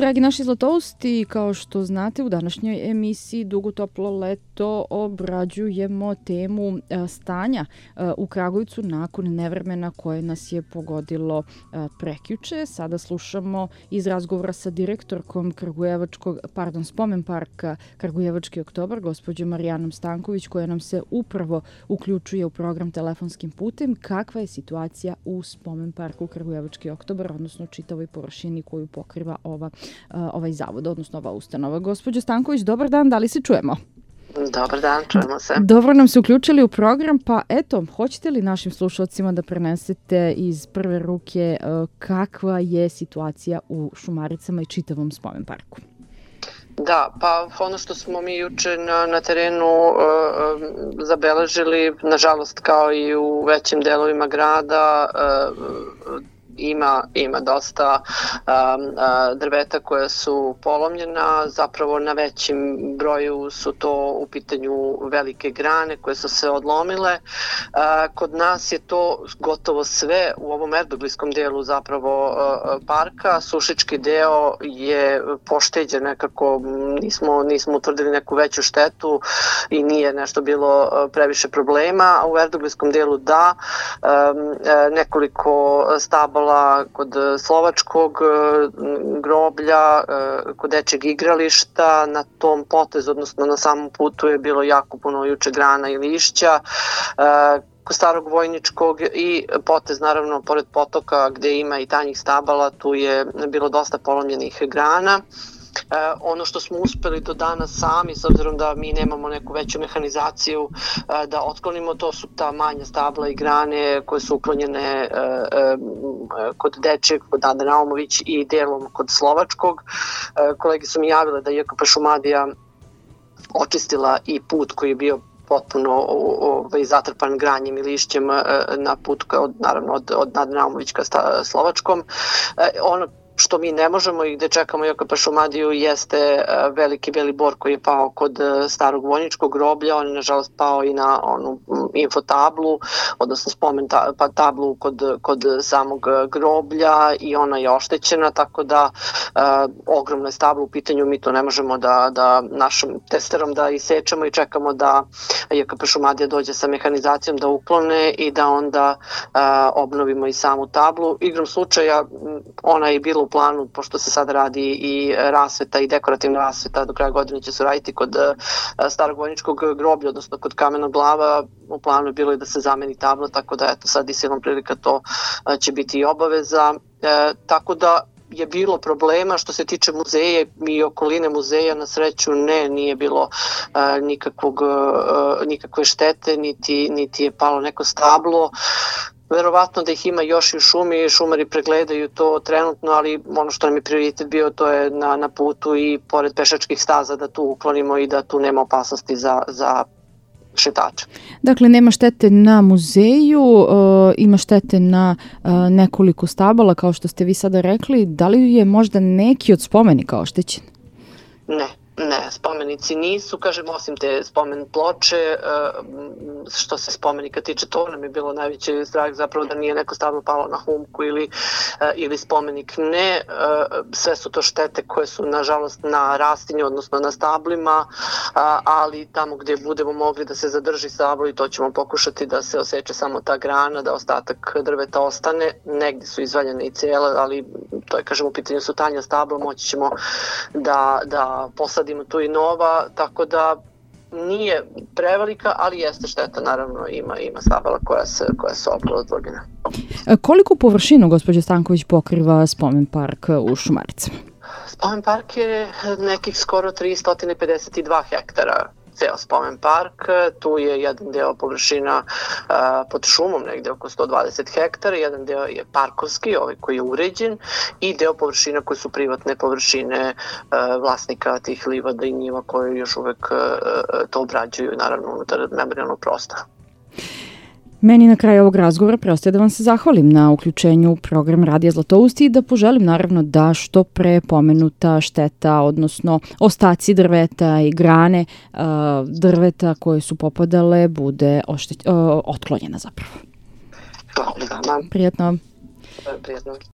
Dragi naši zlatousti, kao što znate, u današnjoj emisiji Dugo toplo leto obrađujemo temu stanja u Kragujevcu nakon nevremena koje nas je pogodilo prekjuče. Sada slušamo iz razgovora sa direktorkom Spomen parka Kragujevački oktobar, gospođom Marijanom Stanković, koja nam se upravo uključuje u program telefonskim putem. Kakva je situacija u Spomen parku Kragujevački oktobar, odnosno čitavoj površini koju pokriva ovaj zavod, odnosno ova ustanova. Gospođo Stanković, dobar dan, da li se čujemo? Dobar dan, čujemo se. Dobro nam se uključili u program, pa eto, hoćete li našim slušalcima da prenesete iz prve ruke kakva je situacija u Šumaricama i čitavom Spomen parku? Da, pa ono što smo mi juče na terenu zabeležili, nažalost kao i u većim delovima grada, ima dosta drveta koja su polomljena, zapravo na većim broju su to u pitanju velike grane koje su se odlomile. Kod nas je to gotovo sve u ovom erdoglijskom delu zapravo parka. Sušički deo je pošteđen nekako, nismo utvrdili neku veću štetu i nije nešto bilo previše problema, a u erdoglijskom delu da, nekoliko stabala kod Slovačkog groblja, kod dečjeg igrališta, na tom potezu, odnosno na samom putu je bilo jako puno juče grana i lišća, kod Starog Vojničkog i potez naravno pored potoka gde ima i tanjih stabala, tu je bilo dosta polomljenih grana. Ono što smo uspeli do danas sami, s obzirom da mi nemamo neku veću mehanizaciju da otklonimo, to su ta manja stabla i grane koje su uklonjene kod Dečeg, kod Ade Naumović i delom kod Slovačkog. Kolege su mi javile da je JKP Šumadija očistila i put koji je bio potpuno zatrpan granjem i lišćem na put, naravno od Ade Naumović ka Slovačkom. Ono što mi ne možemo i gde čekamo JKP Šumadiju jeste veliki beli bor koji je pao kod Starog Vojničkog groblja. On je nažalost pao i na onu infotablu, odnosno spomen tablu kod samog groblja i ona je oštećena, tako da ogromna je stabla u pitanju, mi to ne možemo da našom testerom da isečemo i čekamo da JKP Šumadija dođe sa mehanizacijom da uklone i da onda obnovimo i samu tablu. Igrom slučaja ona je bila u planu, pošto se sad radi i rasveta i dekorativna rasveta, do kraja godine će se raditi kod Starog Vojničkog groblja, odnosno kod Kamenog glava, u planu je bilo i da se zameni tabla, tako da eto sad i silom prilika to će biti i obaveza, tako da je bilo problema što se tiče muzeja i okoline muzeja, na sreću nije bilo nikakve štete, niti je palo neko stablo. Verovatno da ih ima još i u šumi, šumari pregledaju to trenutno, ali ono što nam je prioritet bio to je na putu i pored pešačkih staza da tu uklonimo i da tu nema opasnosti za šetače. Dakle, nema štete na muzeju, ima štete na nekoliko stabala, kao što ste vi sada rekli. Da li je možda neki od spomenika oštećen? Ne, spomenici nisu, kažem, osim te spomen ploče, što se spomenika tiče, to nam je bilo najveći strah zapravo da nije neko stablo palo na humku ili spomenik. Ne, sve su to štete koje su nažalost na rastinju, odnosno na stablima, ali tamo gdje budemo mogli da se zadrži stablo i to ćemo pokušati da se oseče samo ta grana, da ostatak drveta ostane. Negdje su izvaljene i cijele, ali to je, kažem, u pitanju su tanja stabla, moći ćemo da posadimo tu i nova, tako da nije prevelika, ali jeste šteta, naravno ima stabala koja su odlogljena. Koliko površinu, gospođo Stanković, pokriva Spomen park u Šumaricama? Spomen park je nekih skoro 352 hektara. Ceo Spomen park, tu je jedan deo površina pod šumom, negde oko 120 hektara, jedan deo je parkovski, ovaj koji je uređen, i deo površina koje su privatne površine vlasnika tih livada i njiva koji još uvek to obrađuju, naravno unutar memorijalnog prostora. Meni na kraju ovog razgovora preostaje da vam se zahvalim na uključenju u program Radija Zlatousti i da poželim naravno da što pre pomenuta šteta, odnosno ostaci drveta i grane drveta koje su popadale bude otklonjena zapravo. Hvala. Prijatno. Prijatno.